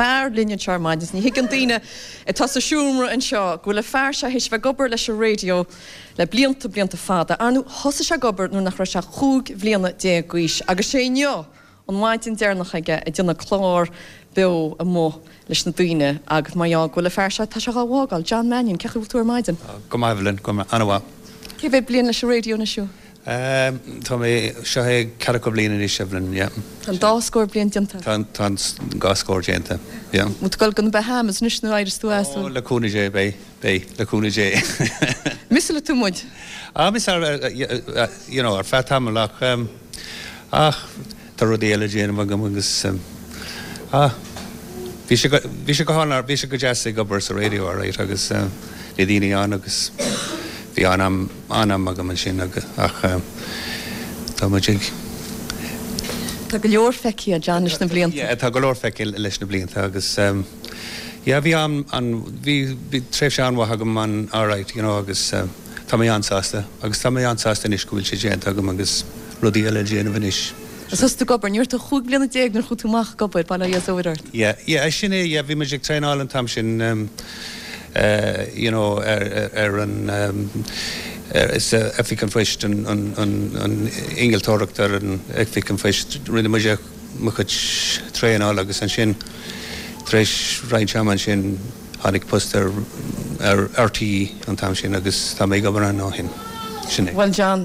fear linn anseo ar maidin is ní thuigeann daoine atá sa seomra anseo go bhfuil an fear seo théis bheith ag obair leis an raidió le blianta, blianta fada. Ar ndóigh, thosaigh sé ag obair nuair nach raibh sé ach 15 bhliana d'aois agus sé inniu an mhaidin deireanach aige ag déanamh clár beo amuigh leis na daoine agus mar gheall go bhfuil an fear seo, tá sé dhá bhfágáil. John Mannion, cén chaoi a bhfuil tú ar maidin? Go maith, Evelyn, go maith, an-mhaith. Cé mhéad bliain leis an raidió anois thú? Tá mé, seo é ceathracha bliain anois, Evelyn, yeah. Tá an dá scór bliain déanta. Tá, tá an dhá scór déanta, yeah. Bhfuil tú ag dul go na Bahamas anois nó éireos tú as? Ó, le cúnamh Dé, beidh, beidh, le cúnamh Dé. Misseálfaidh tú muid? Ah, misseáil, you know, ar feadh tamaill ach, ach tá rudaí eile le déanamh agam agus, ah, bhí sé go, bhí sé go hálainn, bhí sé go deas ag obair sa raidió, alright, agus na daoine ann agus bhí an-am, An-am agam ansin ach tá muid ag. Tá go leor feicthe ag John leis na blianta. Yeah, tá go leor feicthe leis na blianta agus yeah bhí an, an, bhí, bhí tréimhse an-mhaith agam an alright you know agus tá mé an-sásta agus tá mé an-sásta anois go bhfuil sé déanta agam agus rudaí eile le déanamh anois. Thosaigh tú ag obair, ní raibh tú ach 15 bliana nuair a chuaigh tú amach ag obair, bail ó Dhia is óir ort. Yeah, yeah, sin é, yeah, bhí muid ag traenáil an t-am sin you know ar, ar an ar, is Oifig an Phoist, an, an, an, an innealtóireacht ar an Oifig an Phoist, rinne muid mo chuid traenáil agus ansin tar éis roinnt ama ansin tháinig post ar, ar RTÉ an t-am sin agus tá mé ag obair ann ó shin. Sin é. Bhuel John.